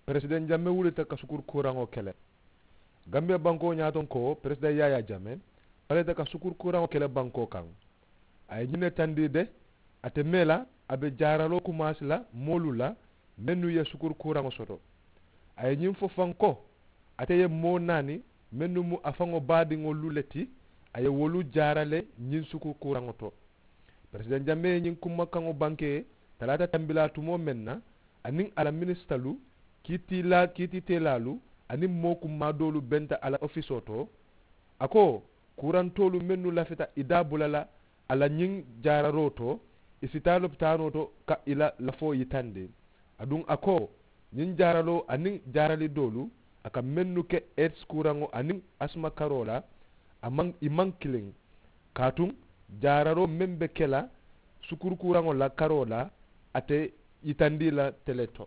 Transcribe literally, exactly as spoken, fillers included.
Peresideŋ jamme wulita ka sukuru kuuraŋo kele. Gambiya bankoo ñaatonko peresideŋ yaayaa jamme falita ka sukuru kuuraŋo kele bankoo kaŋ. A ye ñiŋ ne tandii de. Ate mee la a be jaaraloo kumaasi la moolu la mennu ye sukuru kuuraŋo soto. A ye ñiŋ fo faŋ ko ate ye moo naani mennu mu a faŋo baadiŋolu le ti. A ye wolu jaara le ñiŋ sukuru kuuraŋo to. Peresideŋ jamme ye ñiŋ kumakaŋo bankee talaata tambilaa tumoo meŋ na aniŋ a la minisitalu kiitiilaalu aniŋ moo kummaa doolu benta a la ofisoo to. A ko kuurantoolu mennu lafita i daabula la a la ñiŋ jaararoo to i si taa lopitaanoo to ka i la lafoo yitandi. Aduŋ a ko ñiŋ jaaraloo aniŋ jaarali doolu a ka mennu ke eeti kuuraŋo aniŋ asima karoo la a maŋ i maŋ kiliŋ. Kaatuŋ jaararoo meŋ be ke la sukuru kuuraŋo la karoo la a te yitandi la tele to.